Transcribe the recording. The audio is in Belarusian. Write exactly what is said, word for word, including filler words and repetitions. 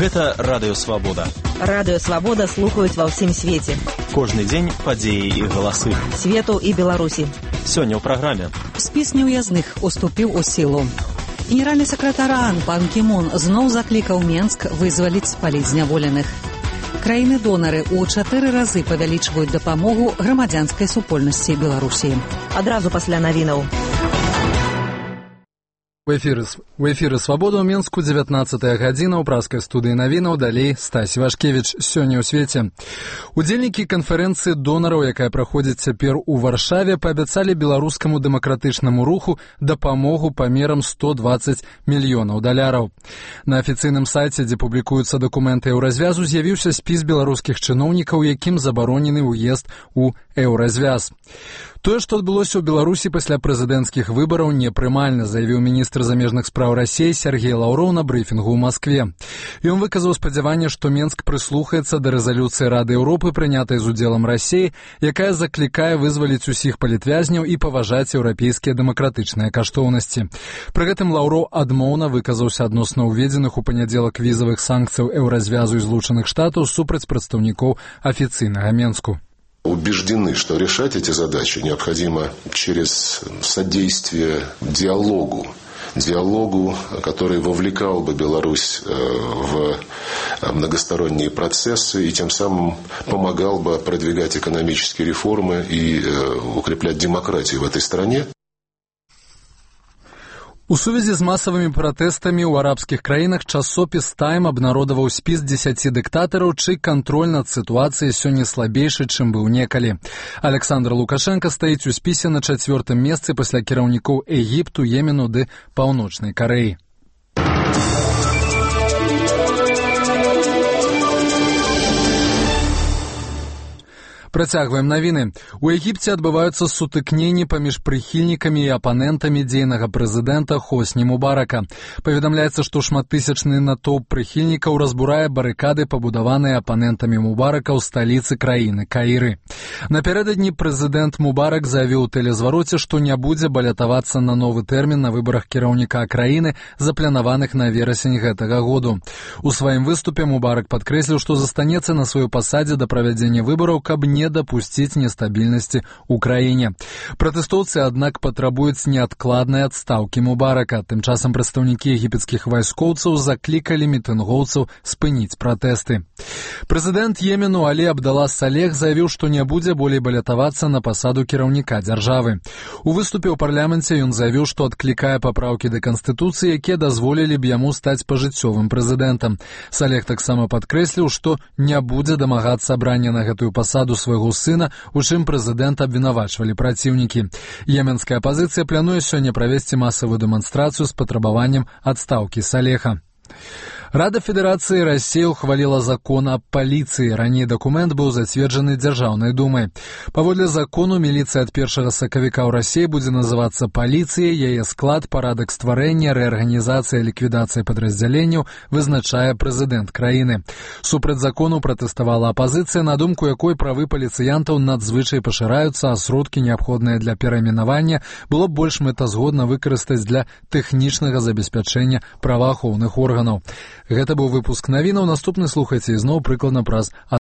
Гэта Радыё Свабода. Радыё Свабода слухаюць ва ўсім свеце. Кожны дзень падзеі і галасы. Свету і Беларусі. Сёння ў праграме. Спіс неўязных уступіў у сілу. Генеральны сакратар ААН Пан Кі Мун зноў заклікаў Менск вызваліць з паліць зняволеных. Краіны-донары ў чатыры разы павялічваюць дапамогу грамадзянскай супольнасці Беларусі. Адразу пасля навінаў. У эфіры, у эфіры «Свабода» ў Менску, дзевятнаццатая гадзіна, ў праскай студыі навінаў, далей Стась Вашкевіч. Сёння ў свеце. Удзельнікі канферэнцыі донараў, якая праходзіць цяпер у Варшаве, паабяцалі беларускаму дэмакратычнаму руху дапамогу памерам сто дваццаць мільёнаў даляраў. На афіцыйным сайце, дзе публікуюцца дакументы еўразвязу, з'явіўся спіс беларускіх чыноўнікаў, якім забаронены ўезд у еўразвяз. Тое, што адбылося ў Беларусі пасля прэзідэнцкіх выбараў, непрымальна, заявіў міністр замежных спраў Расіі Сергей Лаўроў на брыфінгу ў Маскве. Ён выказаў спадзяванне, што Менск прыслухаецца да рэзалюцыі Рады Еўропы, прынятай з удзелам Расіі, якая заклікае вызваліць усіх палітвязняў і паважаць еўрапейскія дэмакратычныя каштоўнасці. Пры гэтым Лаўроў адмоўна выказаўся адносна ўведзеных у панядзелак візавых санкцыяў еўразвязу і Злучаных Штатаў супраць прадстаўнікоў афіцыйнага Менску. Убеждены, что решать эти задачи необходимо через содействие диалогу, диалогу, который вовлекал бы Беларусь в многосторонние процессы и тем самым помогал бы продвигать экономические реформы и укреплять демократию в этой стране. У сувязі з масавымі пратэстамі ў арабскіх краінах часопіс «Тайм» абнародаваў спіс дзесяці дыктатараў, чый кантроль над сітуацыяй сёння слабейшы, чым быў некалі. Александр Лукашенко стаіць у спісе на чацвёртым месцы пасля кіраўнікоў Егіпту, Йемену ды Паўночнай Карэі. Працягваем навіны. У Егіпце адбываюцца сутыкненні паміж прыхільнікамі і апанентамі дзейнага прэзідэнта Хосні Мубарака. Паведамляецца, што шматтысячны натоўп прыхільнікаў разбурае барыкады, пабудаваныя апанентамі Мубарака ў сталіцы краіны Каіры. Напярэдадні прэзідэнт Мубарак заявіў у тэлезвароце, што не будзе балятавацца на новы тэрмін на выбарах кіраўніка краіны, запланаваных на верасень гэтага году. У сваім выступе Мубарак падкрэсліў, што застанецца на сваёй пасадзе да правядзення выбараў, каб не дапусціць нестабільнасці ў краіне. Пратэстоўцы, аднак, патрабуюць неадкладнай адстаўкі Мубарака. Тым часам прадстаўнікі егіпецкіх вайскоўцаў заклікалі мітынгоўцаў спыніць пратэсты. Прэзідэнт Йемену Алі Абдала Салех заявіў, што не будзе болей балятавацца на пасаду кіраўніка дзяржавы. У выступе ў парламенце ён заявіў, што адклікае папраўкі да канстытуцыі, якія дазволілі б яму стаць пажыццёвым прэзідэнтам. Салех таксама падкрэсліў, што не будзе дамагацца абрання на гэтую пасаду свайго сына, у чым прэзідэнта абвінавачвалі праціўнікі. Йеменская апазіцыя плануе сёння правесці масавую дэманстрацыю з патрабаваннем адстаўкі Салеха. Рада Федэрацыі Расіі ухваліла закон аб паліцыі. Раней дакумент быў зацверджаны Дзяржаўнай думай. Паводле закону, міліцыя ад першага сакавіка ў Расіі будзе называцца паліцыяй, яе склад, парадак стварэння, рэарганізацыя, ліквідацыя падраздзяленняў вызначае прэзідэнт краіны. Супраць закону пратэставала апазіцыя, на думку якой правы паліцыянтаў надзвычай пашыраюцца, а сродкі, неабходныя для перайменавання, было б больш мэтазгодна выкарыстаць для тэхнічнага забеспячэння праваахоўных органаў. Гэта быў выпуск навінаў. Наступны слухайце ізноў прыкладна праз